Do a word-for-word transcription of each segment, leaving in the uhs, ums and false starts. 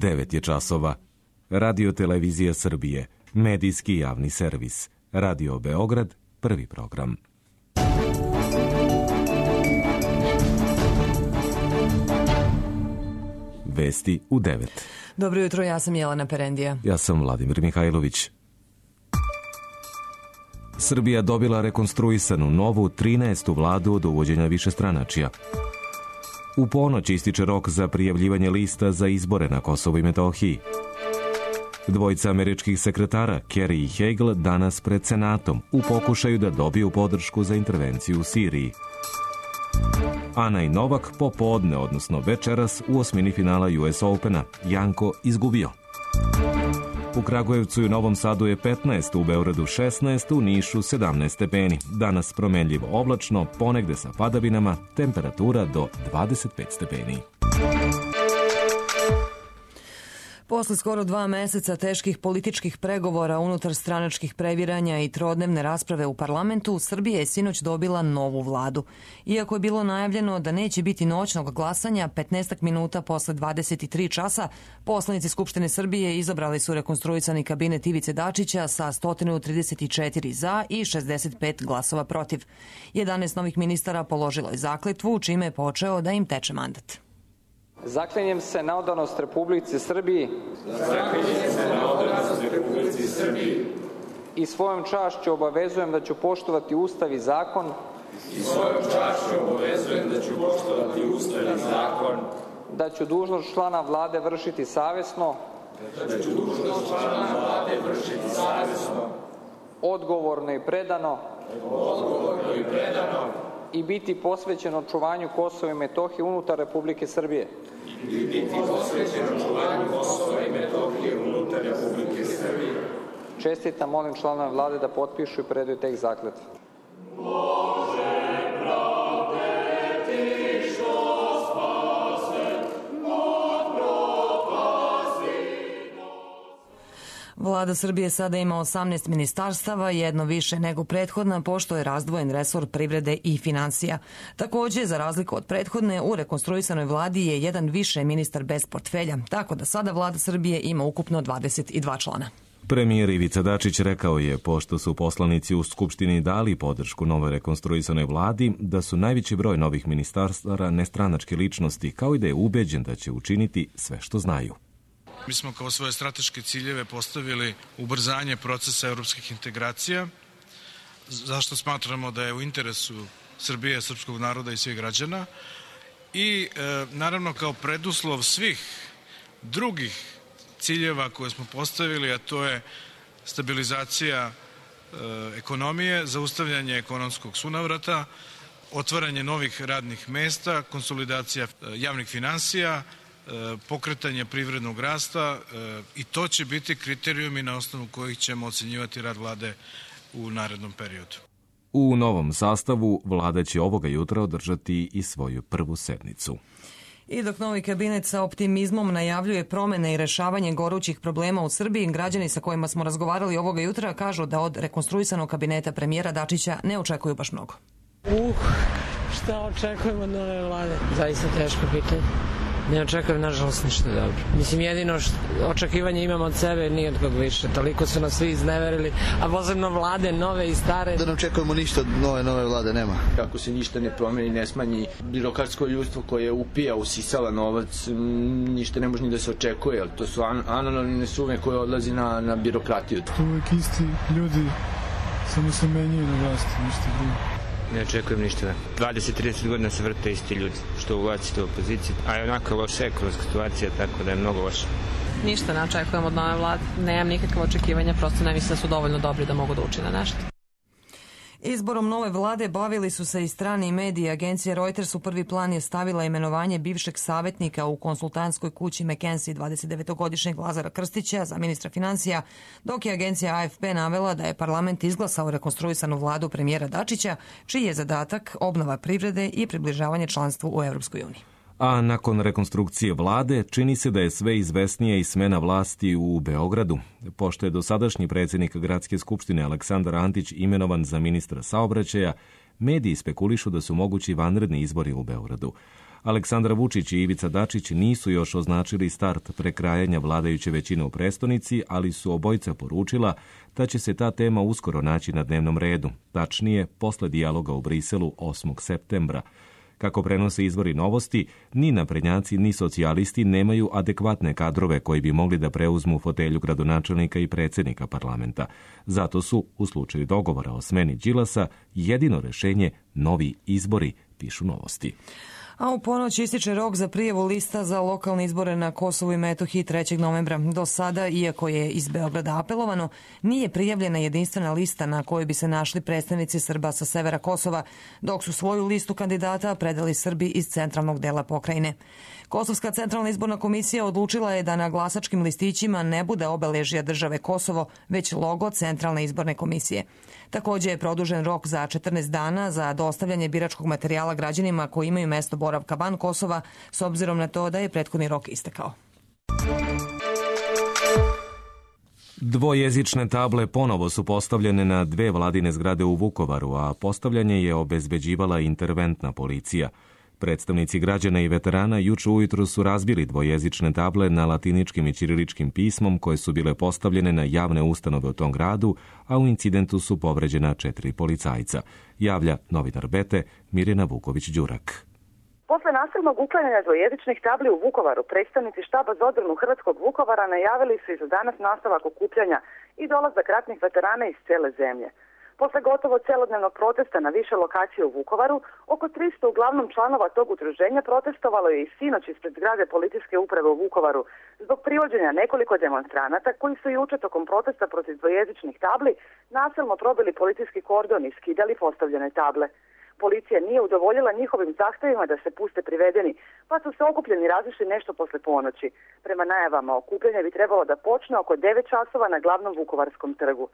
devet je časova. Radio Televizija Srbije, medijski javni servis. Radio Beograd, prvi program. Vesti u devet. Dobro jutro, ja sam Jelena Perendija. Ja sam Vladimir Mihajlović. Srbija dobila rekonstruisanu novu trinaestu vladu od uvođenja višestranačja. U ponoć ističe rok za prijavljivanje lista za izbore na Kosovu i Metohiji. Dvojica američkih sekretara, Kerry i Hagel, danas pred Senatom u pokušaju da dobiju podršku za intervenciju u Siriji. Ana i Novak popodne, odnosno večeras, u osmini finala U S Opena. Janko izgubio. U Kragujevcu i Novom Sadu je petnaest, u Beogradu šesnaest, u Nišu sedamnaest stepeni. Danas promenljivo oblačno, ponegde sa padavinama, temperatura do dvadeset pet stepeni. Posle skoro dva meseca teških političkih pregovora, unutar stranačkih previranja i trodnevne rasprave u parlamentu, Srbija je sinoć dobila novu vladu. Iako je bilo najavljeno da neće biti noćnog glasanja, petnaest minuta posle dvadeset tri časa, poslanici Skupštine Srbije izabrali su rekonstruisani kabinet Ivice Dačića sa sto trideset četiri za i šezdeset pet glasova protiv. jedanaest novih ministara položilo je zakletvu, čime je počeo da im teče mandat. Zaklinjem se na odanost Republici Srbiji. Zaklinjem se na odanost Republici Srbiji. I svojom čašću obavezujem da ću poštovati Ustav i zakon. I svojom čašću obavezujem da ću poštovati Ustav i zakon. Da ću dužnost člana vlade vršiti savesno. Da ću dužnost člana vlade vršiti savesno. Odgovorno i predano. Odgovorno i predano. I biti posvećen očuvanju Kosova i Metohije unutar Republike Srbije. I biti posvećen očuvanju Kosova i Metohije unutar Republike Srbije. Čestitam, molim članove vlade da potpišu i predaju tekst zakletve. Vlada Srbije sada ima osamnaest ministarstava, jedno više nego prethodna, pošto je razdvojen resor privrede i finansija. Takođe, za razliku od prethodne, u rekonstruisanoj vladi je jedan više ministar bez portfelja, tako da sada vlada Srbije ima ukupno dvadeset dva člana. Premijer Ivica Dačić rekao je, pošto su poslanici u Skupštini dali podršku novoj rekonstruisanoj vladi, da su najveći broj novih ministarstava nestranačke ličnosti, kao i da je ubeđen da će učiniti sve što znaju. Mi smo kao svoje strateške ciljeve postavili ubrzanje procesa evropskih integracija, zašto smatramo da je u interesu Srbije, srpskog naroda i svih građana i e, naravno kao preduslov svih drugih ciljeva koje smo postavili, a to je stabilizacija e, ekonomije, zaustavljanje ekonomskog sunavrata, otvaranje novih radnih mesta, konsolidacija javnih finansija, pokretanje privrednog rasta i to će biti kriterijumi na osnovu kojih ćemo ocenjivati rad vlade u narednom periodu. U novom sastavu vlada će ovoga jutra održati i svoju prvu sednicu. I dok novi kabinet sa optimizmom najavljuje promene i rešavanje gorućih problema u Srbiji, građani sa kojima smo razgovarali ovoga jutra kažu da od rekonstruisanog kabineta premijera Dačića ne očekuju baš mnogo. Uh, šta očekujemo od nove vlade? Zaista teško pitanje. Ne očekujem, nažalost, ništa dobro. Mislim, jedino što očekivanje imamo od sebe, nije od kog više. Toliko su nas svi izneverili, a posebno vlade, nove i stare. Da ne očekujemo ništa od nove, nove vlade, nema. Kako se ništa ne promeni, ne smanji birokratsko ljudstvo koje upija, usisava novac, ništa ne može ni da se očekuje, ali to su an anonimne sume koje odlazi na, na birokratiju. Uvijek isti ljudi, samo se menjaju na vlasti, ništa drugo. Ne očekujem ništa. dvadeset do trideset godina se vrte isti ljudi, što u vlasti, što u opoziciji. A je onako loša ekonomska situacija, tako da je mnogo loša. Ništa ne očekujem od nove vlade. Nemam nikakve očekivanja, prosto ne mislim da su dovoljno dobri da mogu da učine nešto. Izborom nove vlade bavili su se i strani mediji. Agencija Reuters u prvi plan je stavila imenovanje bivšeg savjetnika u konsultantskoj kući McKinsey dvadesetdevetogodišnjeg Lazara Krstića za ministra finansija, dok je agencija A F P navela da je parlament izglasao rekonstruisanu vladu premijera Dačića, čiji je zadatak obnova privrede i približavanje članstvu u Evropskoj uniji. A nakon rekonstrukcije vlade čini se da je sve izvesnija i smena vlasti u Beogradu. Pošto je dosadašnji predsjednik Gradske skupštine Aleksandar Antić imenovan za ministra saobraćaja, mediji spekulišu da su mogući vanredni izbori u Beogradu. Aleksandar Vučić i Ivica Dačić nisu još označili start prekrajanja vladajuće većine u prestonici, ali su obojica poručila da će se ta tema uskoro naći na dnevnom redu, tačnije posle dijaloga u Briselu osmog septembra. Kako prenose izvori Novosti, ni naprednjaci ni socijalisti nemaju adekvatne kadrove koji bi mogli da preuzmu fotelju gradonačelnika i predsjednika parlamenta. Zato su, u slučaju dogovora o smeni Đilasa, jedino rešenje novi izbori, pišu Novosti. A u ponoć ističe rok za prijavu lista za lokalne izbore na Kosovu i Metohiji trećeg novembra. Do sada, iako je iz Beograda apelovano, nije prijavljena jedinstvena lista na kojoj bi se našli predstavnici Srba sa severa Kosova, dok su svoju listu kandidata predali Srbi iz centralnog dela pokrajine. Kosovska centralna izborna komisija odlučila je da na glasačkim listićima ne bude obeležja države Kosovo, već logo Centralne izborne komisije. Takođe je produžen rok za četrnaest dana za dostavljanje biračkog materijala građanima koji imaju mesto boravka van Kosova, s obzirom na to da je prethodni rok istekao. Dvojezične table ponovo su postavljene na dve vladine zgrade u Vukovaru, a postavljanje je obezbeđivala interventna policija. Predstavnici građana i veterana juče ujutru su razbili dvojezične table na latiničkim i ćiriličkim pismom koje su bile postavljene na javne ustanove u tom gradu, a u incidentu su povređena četiri policajca. Javlja novinar Bete Mirjana Vuković-Đurak. Posle nasilnog uklanjanja dvojezičnih tabli u Vukovaru, predstavnici štaba za odbranu Hrvatskog Vukovara najavili su i za danas nastavak okupljanja i dolazak ratnih veterana iz cele zemlje. Posle gotovo celodnevnog protesta na više lokacije u Vukovaru, oko tristo uglavnom članova tog udruženja protestovalo je i sinoć ispred zgrade policijske uprave u Vukovaru zbog privođenja nekoliko demonstranata koji su juče tokom protesta protiv dvojezičnih tabli nasilno probili policijski kordon i skidali postavljene table. Policija nije udovoljila njihovim zahtevima da se puste privedeni, pa su se okupljeni razišli nešto posle ponoći. Prema najavama, okupljanje bi trebalo da počne oko devet časova na glavnom Vukovarskom trgu.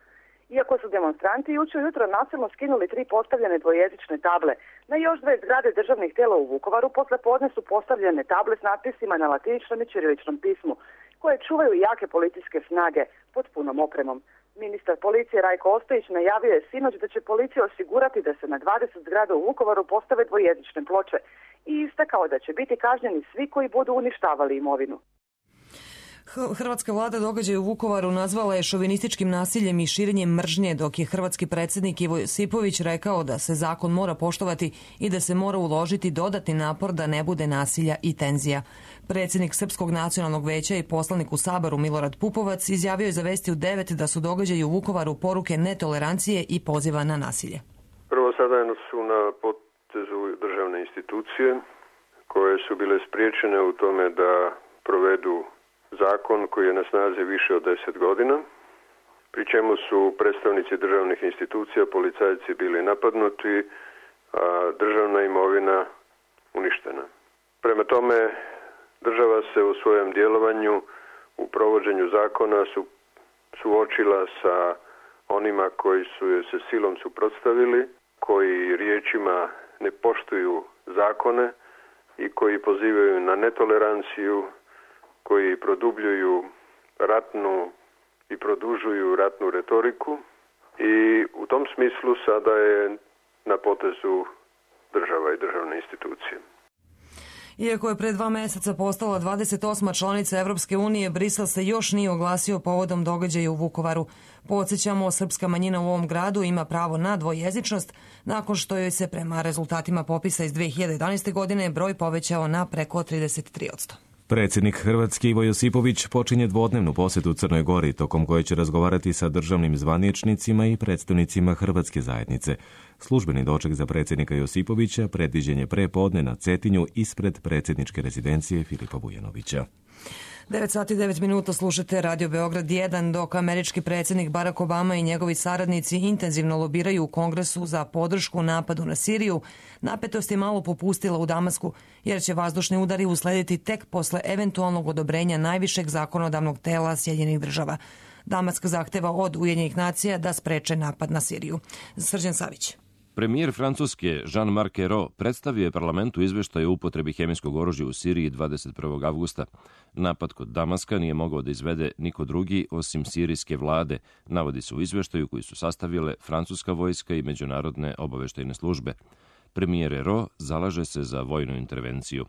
Iako su demonstranti juče ujutro nasilno skinuli tri postavljene dvojezične table, na još dve zgrade državnih tela u Vukovaru posle podne su postavljene table s natpisima na latiničnom i ćiriličnom pismu, koje čuvaju jake policijske snage pod punom opremom. Ministar policije Rajko Ostojić najavio je sinoć da će policija osigurati da se na dvadeset zgrada u Vukovaru postave dvojezične ploče i istakao da će biti kažnjeni svi koji budu uništavali imovinu. Hrvatska vlada događaj u Vukovaru nazvala je šovinističkim nasiljem i širenjem mržnje, dok je hrvatski predsjednik Ivo Josipović rekao da se zakon mora poštovati i da se mora uložiti dodatni napor da ne bude nasilja i tenzija. Predsjednik Srpskog nacionalnog veća i poslanik u Saboru Milorad Pupovac izjavio je za Vesti u devet da su događaji u Vukovaru poruke netolerancije i poziva na nasilje. Prvo, sada su na potezu državne institucije koje su bile spriječene u tome da provedu zakon koji je na snazi više od deset godina, pri čemu su predstavnici državnih institucija, policajci bili napadnuti, a državna imovina uništena. Prema tome, država se u svojem djelovanju u provođenju zakona su suočila sa onima koji su je se silom suprotstavili, koji riječima ne poštuju zakone i koji pozivaju na netoleranciju, koji produbljuju ratnu i produžuju ratnu retoriku i u tom smislu sada je na potezu država i državne institucije. Iako je pre dva meseca postala dvadeset osma članica Evropske unije, Brisel se još nije oglasio povodom događaja u Vukovaru. Podsjećamo, srpska manjina u ovom gradu ima pravo na dvojezičnost, nakon što joj se prema rezultatima popisa iz dve hiljade jedanaeste. godine broj povećao na preko trideset tri posto. Predsjednik Hrvatske Ivo Josipović počinje dvodnevnu posjetu Crnoj Gori, tokom koje će razgovarati sa državnim zvaničnicima i predstavnicima hrvatske zajednice. Službeni doček za predsjednika Josipovića predviđen je pre podne na Cetinju ispred predsjedničke rezidencije Filipa Vujanovića. devet sati i devet minuta slušate Radio Beograd jedan, dok američki predsjednik Barack Obama i njegovi saradnici intenzivno lobiraju u Kongresu za podršku napadu na Siriju. Napetost je malo popustila u Damasku, jer će vazdušni udari uslediti tek posle eventualnog odobrenja najvišeg zakonodavnog tela Sjedinjenih država. Damask zahteva od Ujedinjenih nacija da spreče napad na Siriju. Srđan Savić. Premijer Francuske Jean-Marc Ayrault predstavio je parlamentu izveštaj o upotrebi hemijskog oružja u Siriji dvadeset prvog avgusta. Napad kod Damaska nije mogao da izvede niko drugi osim sirijske vlade, navodi se u izveštaju koji su sastavile francuska vojska i međunarodne obaveštajne službe. Premijer Ero zalaže se za vojnu intervenciju.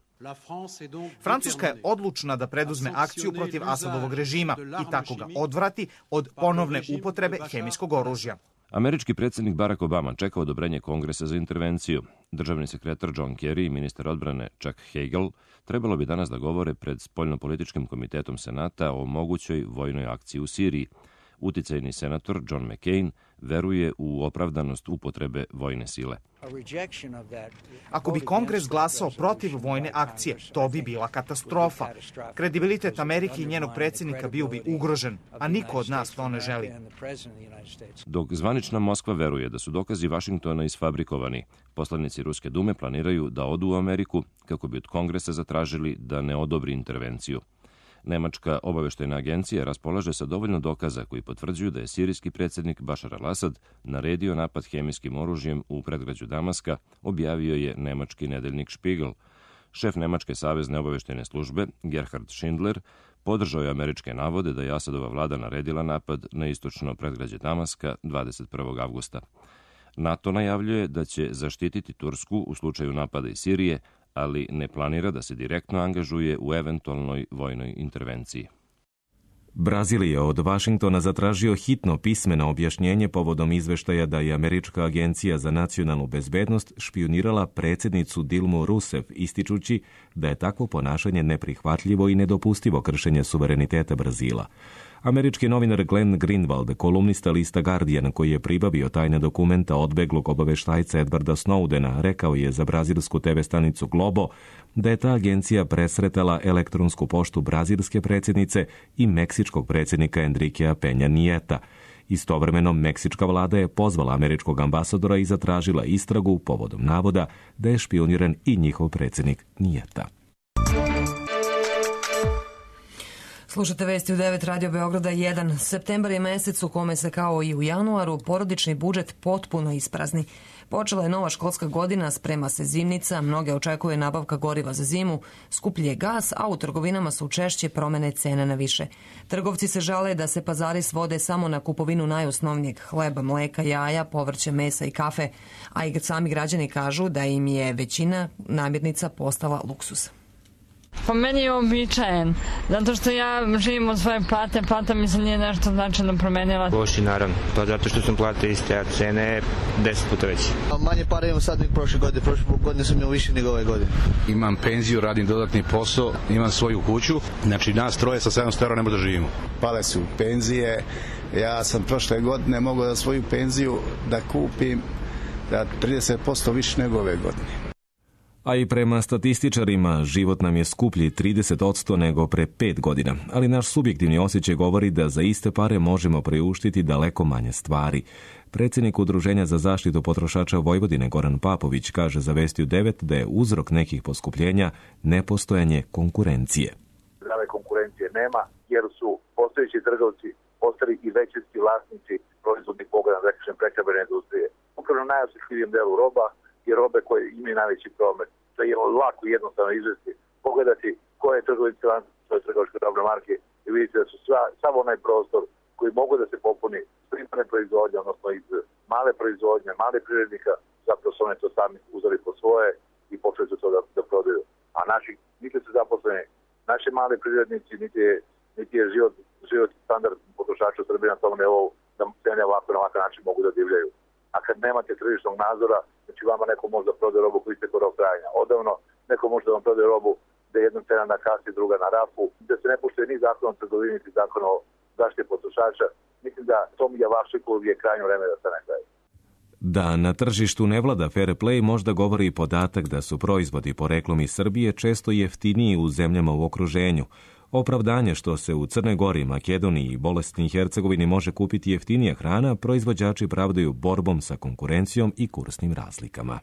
Francuska je odlučna da preduzme akciju protiv Asadovog režima i tako ga odvrati od ponovne upotrebe hemijskog oružja. Američki predsjednik Barack Obama čeka odobrenje Kongresa za intervenciju. Državni sekretar John Kerry i ministar odbrane Chuck Hagel trebalo bi danas da govore pred Spoljnopolitičkim komitetom Senata o mogućoj vojnoj akciji u Siriji. Uticajni senator John McCain veruje u opravdanost upotrebe vojne sile. Ako bi Kongres glasao protiv vojne akcije, to bi bila katastrofa. Kredibilitet Amerike i njenog predsjednika bio bi ugrožen, a niko od nas to ne želi. Dok zvanična Moskva veruje da su dokazi Vašingtona isfabrikovani, poslanici Ruske dume planiraju da odu u Ameriku kako bi od Kongresa zatražili da ne odobri intervenciju. Nemačka obaveštajna agencija raspolaže sa dovoljno dokaza koji potvrđuju da je sirijski predsjednik Bašar al-Asad naredio napad hemijskim oružjem u predgrađu Damaska, objavio je nemački nedeljnik Spiegel. Šef Nemačke savezne obaveštajne službe, Gerhard Schindler, podržao je američke navode da je Asadova vlada naredila napad na istočno predgrađe Damaska dvadeset prvog avgusta. NATO najavljuje da će zaštititi Tursku u slučaju napada iz Sirije, ali ne planira da se direktno angažuje u eventualnoj vojnoj intervenciji. Brazil je od Vašingtona zatražio hitno pismeno objašnjenje povodom izveštaja da je Američka agencija za nacionalnu bezbednost špijunirala predsjednicu Dilmu Rousseff, ističući da je takvo ponašanje neprihvatljivo i nedopustivo kršenje suvereniteta Brazila. Američki novinar Glenn Greenwald, kolumnista lista Guardian, koji je pribavio tajne dokumenta odbeglog obaveštajca Edwarda Snowdena, rekao je za brazilsku te ve stanicu Globo da je ta agencija presretala elektronsku poštu brazilske predsjednice i meksičkog predsjednika Enriquea Peña Nieta. Istovremeno, meksička vlada je pozvala američkog ambasadora i zatražila istragu povodom navoda da je špijuniran i njihov predsjednik Nieta. Slušate vesti u devet Radio Beograda jedan. Septembar je mesec u kome se kao i u januaru porodični budžet potpuno isprazni. Počela je nova školska godina, sprema se zimnica, mnoge očekuje nabavka goriva za zimu, skuplji je gas, a u trgovinama su češće promene cena na više. Trgovci se žale da se pazari svode samo na kupovinu najosnovnijeg hleba, mleka, jaja, povrća, mesa i kafe, a i sami građani kažu da im je većina namirnica postala luksuz. Po meni je običajen, zato što ja živim od svoje plate, plata mi se nije nešto značajno promenila. Loši, naravno, pa zato što sam plate iste, a cene deset puta veće. Manje para imam sad nego prošle godine, prošle godine sam imao više nego ove godine. Imam penziju, radim dodatni posao, imam svoju kuću, znači nas troje sa sedamsto evra ne možemo da živimo. Pale su penzije, ja sam prošle godine mogao da svoju penziju da kupim da trideset posto više nego ove godine. A i prema statističarima, život nam je skuplji trideset posto nego pre pet godina, ali naš subjektivni osjećaj govori da za iste pare možemo priuštiti daleko manje stvari. Predsjednik Udruženja za zaštitu potrošača Vojvodine Goran Papović kaže za Vesti u devet da je uzrok nekih poskupljenja nepostojanje konkurencije. Zdrave konkurencije nema, jer su postojeći trgovci postali i većinski vlasnici proizvodnih pogona, da kažem, prehrambene industrije. Upravo na najosjetljivijem delu roba i robe koje imaju najveći promet. To je lako i jednostavno izvesti, pogledati koje je trgovinski lanac svoje trgovačke robne marke i vidite da su sva, sav onaj prostor koji mogu da se popuni s primarne proizvodnje, odnosno iz male proizvodnje, male privrednika, zapravo su oni to sami uzeli po svoje i počeli su to da, da prodaju. A naši, niti su zaposleni, naši mali privrednici, niti je, niti je život, život standard potrošača u Srbiji na tom nivou da cene ovako na ovakav način mogu da divljaju. A kad nemate tržišnog nadzora, znači vama neko može da prode robu koji ste rok trajanja odavno, neko može da vam prode robu da je jedna cena na kasi, druga na rafu, da se ne poštuje ni zakon o trgovini, ni zakon o zaštiti potrošača. Mislim da tom javašliku je krajnje vreme da se ne kraju. Da na tržištu ne vlada fair play možda govori i podatak da su proizvodi poreklom iz Srbije često jeftiniji u zemljama u okruženju. Opravdanje što se u Crnoj Gori, Makedoniji i Bosni i Hercegovini može kupiti jeftinija hrana, proizvođači pravdaju borbom sa konkurencijom i kursnim razlikama.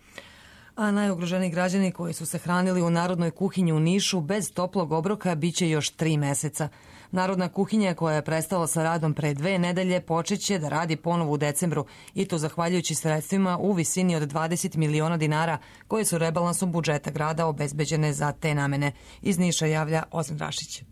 A najugroženiji građani koji su se hranili u Narodnoj kuhinji u Nišu bez toplog obroka biće još tri meseca. Narodna kuhinja koja je prestala sa radom pre dve nedelje počeće da radi ponovo u decembru i to zahvaljujući sredstvima u visini od dvadeset miliona dinara koje su rebalansom budžeta grada obezbeđene za te namene. Iz Niša javlja Ozan Rašić.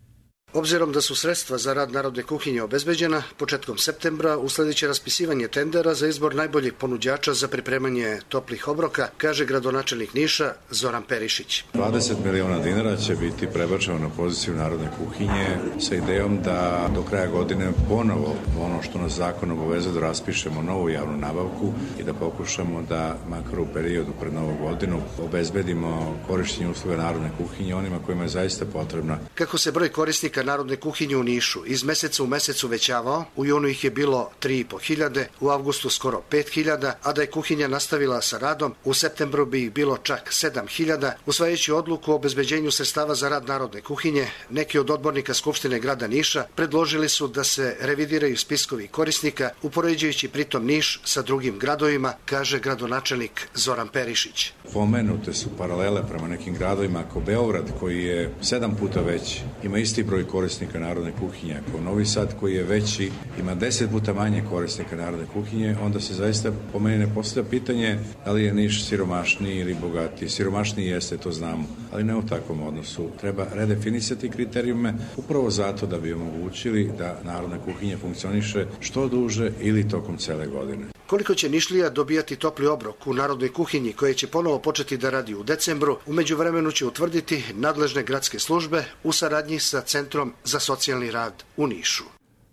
Obzirom da su sredstva za rad Narodne kuhinje obezbeđena, početkom septembra usledit raspisivanje tendera za izbor najboljih ponuđača za pripremanje toplih obroka, kaže gradonačelnik Niša Zoran Perišić. dvadeset miliona dinara će biti prebačeno na poziciju Narodne kuhinje sa idejom da do kraja godine ponovo ono što nas zakon obavezuje da raspišemo novu javnu nabavku i da pokušamo da makar u periodu pred Novu godinu obezbedimo korištenje usluga Narodne kuhinje onima kojima je zaista potrebna. Kako se broj korisnika Narodne kuhinje u Nišu iz meseca u mesec uvećavao, u junu ih je bilo tri i po hiljade, u avgustu skoro pet hiljada, a da je kuhinja nastavila sa radom, u septembru bi ih bilo čak sedam hiljada. Usvajajući odluku o obezbeđenju sredstava za rad Narodne kuhinje, neki od odbornika Skupštine grada Niša predložili su da se revidiraju spiskovi korisnika, upoređujući pritom Niš sa drugim gradovima, kaže gradonačelnik Zoran Perišić. Pomenute su paralele prema nekim gradovima, ako Beograd koji je sedam puta veći, ima isti broj korisnika Narodne kuhinje, ako Novi Sad koji je veći, ima deset puta manje korisnika Narodne kuhinje, onda se zaista po meni ne postavlja pitanje da li je Niš siromašniji ili bogatiji. Siromašniji jeste, to znamo, ali ne u takvom odnosu. Treba redefinisati kriterijume upravo zato da bi omogućili da Narodna kuhinja funkcioniše što duže ili tokom cele godine. Koliko će Nišlija dobijati topli obrok u Narodnoj kuhinji koje će ponovo početi da radi u decembru, u međuvremenu će utvrditi nadležne gradske službe u saradnji sa Centrom za socijalni rad u Nišu.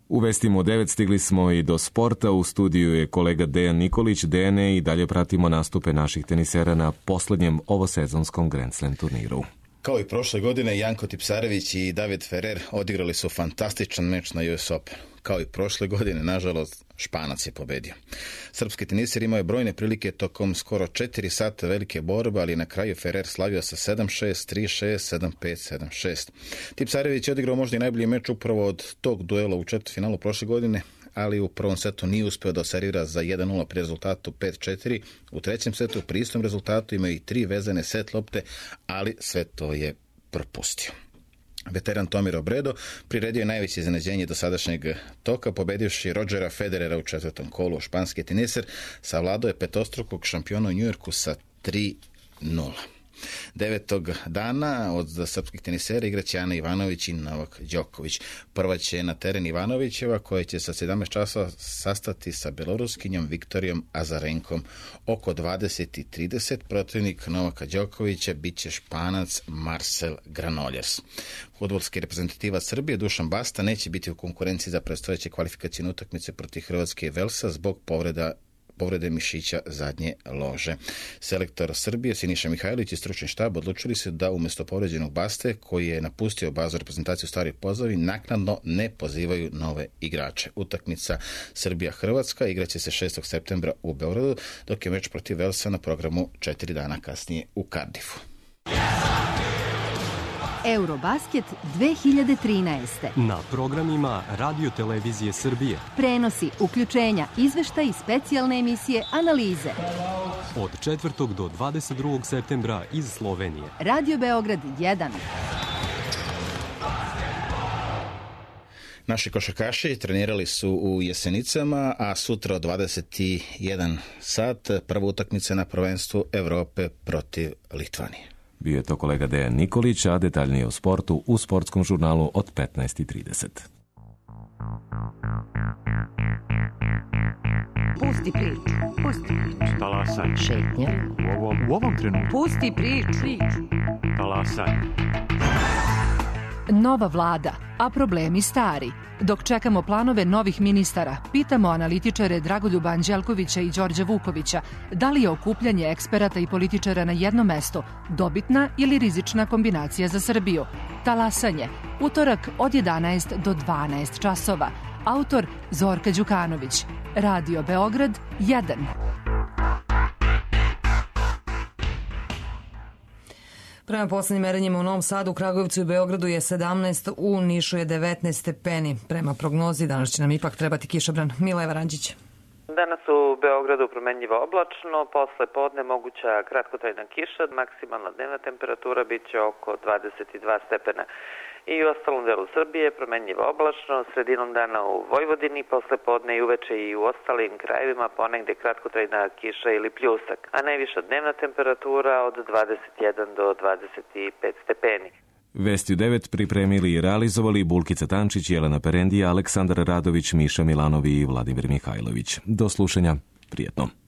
U vestima u devet stigli smo i do sporta. U studiju je kolega Dejan Nikolić. Dejane, i dalje pratimo nastupe naših tenisera na poslednjem ovosezonskom Grand Slam turniru. Kao i prošle godine, Janko Tipsarević i David Ferrer odigrali su fantastičan meč na U S Open. Kao i prošle godine, nažalost, Španac je pobedio. Srpski teniser imao je brojne prilike tokom skoro četiri sata velike borbe, ali na kraju Ferrer slavio sa sedam šest, tri šest, sedam pet, sedam šest. Tipsarević je odigrao možda i najbolji meč upravo od tog duela u četvrtfinalu prošle godine, ali u prvom setu nije uspeo da servira za jedan nula pri rezultatu pet četiri. U trećem setu pri istom rezultatu imao i tri vezane set lopte, ali sve to je propustio. Veteran Tommy Robredo priredio je najveće iznenađenje do sadašnjeg toka, pobedivši Rodgera Federera u četvrtom kolu. Španski teniser savladao je petostrukog šampiona u Njujorku sa tri nula. Devetog dana od srpskih tenisera igraće Ana Ivanović i Novak Đoković. Prva će na teren Ivanovićeva, koja će sa sedamnaest časova sastati sa beloruskinjom Viktorijom Azarenkom. Oko dvadeset i trideset protivnik Novaka Đokovića bit će Španac Marcel Granollers. Fudbalski reprezentativac Srbije Dušan Basta neće biti u konkurenciji za predstojeće kvalifikacijne utakmice protiv Hrvatske i Velsa zbog povreda povrede mišića zadnje lože. Selektor Srbije Siniša Mihajlović i stručni štab odlučili su da umjesto povređenog Baste, koji je napustio bazu reprezentaciju Staroj Pozovi, naknadno ne pozivaju nove igrače. Utakmica Srbija-Hrvatska igraće se šestog septembra u Beogradu, dok je meč protiv Velsa na programu četiri dana kasnije u Cardiffu. Eurobasket dve hiljade trinaeste. Na programima Radio Televizije Srbije. Prenosi, uključenja, izveštaj i specijalne emisije, analize. Od četvrtog do dvadeset drugog septembra iz Slovenije. Radio Beograd jedan. Naši košarkaši trenirali su u Jesenicama, a sutra od dvadeset jedan sat prva utakmica na prvenstvu Evrope protiv Litvanije. Bio je to kolega Dejan Nikolić, a detaljnije o sportu u sportskom žurnalu od petnaest i trideset. Pusti priču, pusti priču. Talasaj. Šetnja. U ovom, u ovom trenutku. Pusti priču. Talasaj. Nova vlada, a problemi stari. Dok čekamo planove novih ministara, pitamo analitičare Dragoljuba Anđelkovića i Đorđa Vukovića da li je okupljanje eksperata i političara na jedno mesto dobitna ili rizična kombinacija za Srbiju. Talasanje, utorak od jedanaest do dvanaest časova. Autor Zorka Đukanović. Radio Beograd jedan. Prema poslednjim merenjima u Novom Sadu, u Kragujevcu i Beogradu je sedamnaest, u Nišu je devetnaest stepeni. Prema prognozi danas će nam ipak trebati kišobran. Mila Evaranđić. Danas u Beogradu promenljivo oblačno, posle podne moguća kratkotrajna kiša, maksimalna dnevna temperatura bit će oko dvadeset dva stepena. I u ostalom delu Srbije promenljivo oblačno, sredinom dana u Vojvodini, posle podne i uveče i u ostalim krajevima ponegde kratkotrajna kiša ili pljusak, a najviša dnevna temperatura od dvadeset jedan do dvadeset pet stepeni. Vesti u devet pripremili i realizovali Bulkica Tančić, Jelena Perendija, Aleksandar Radović, Miša Milanovi i Vladimir Mihajlović. Do slušanja, prijetno.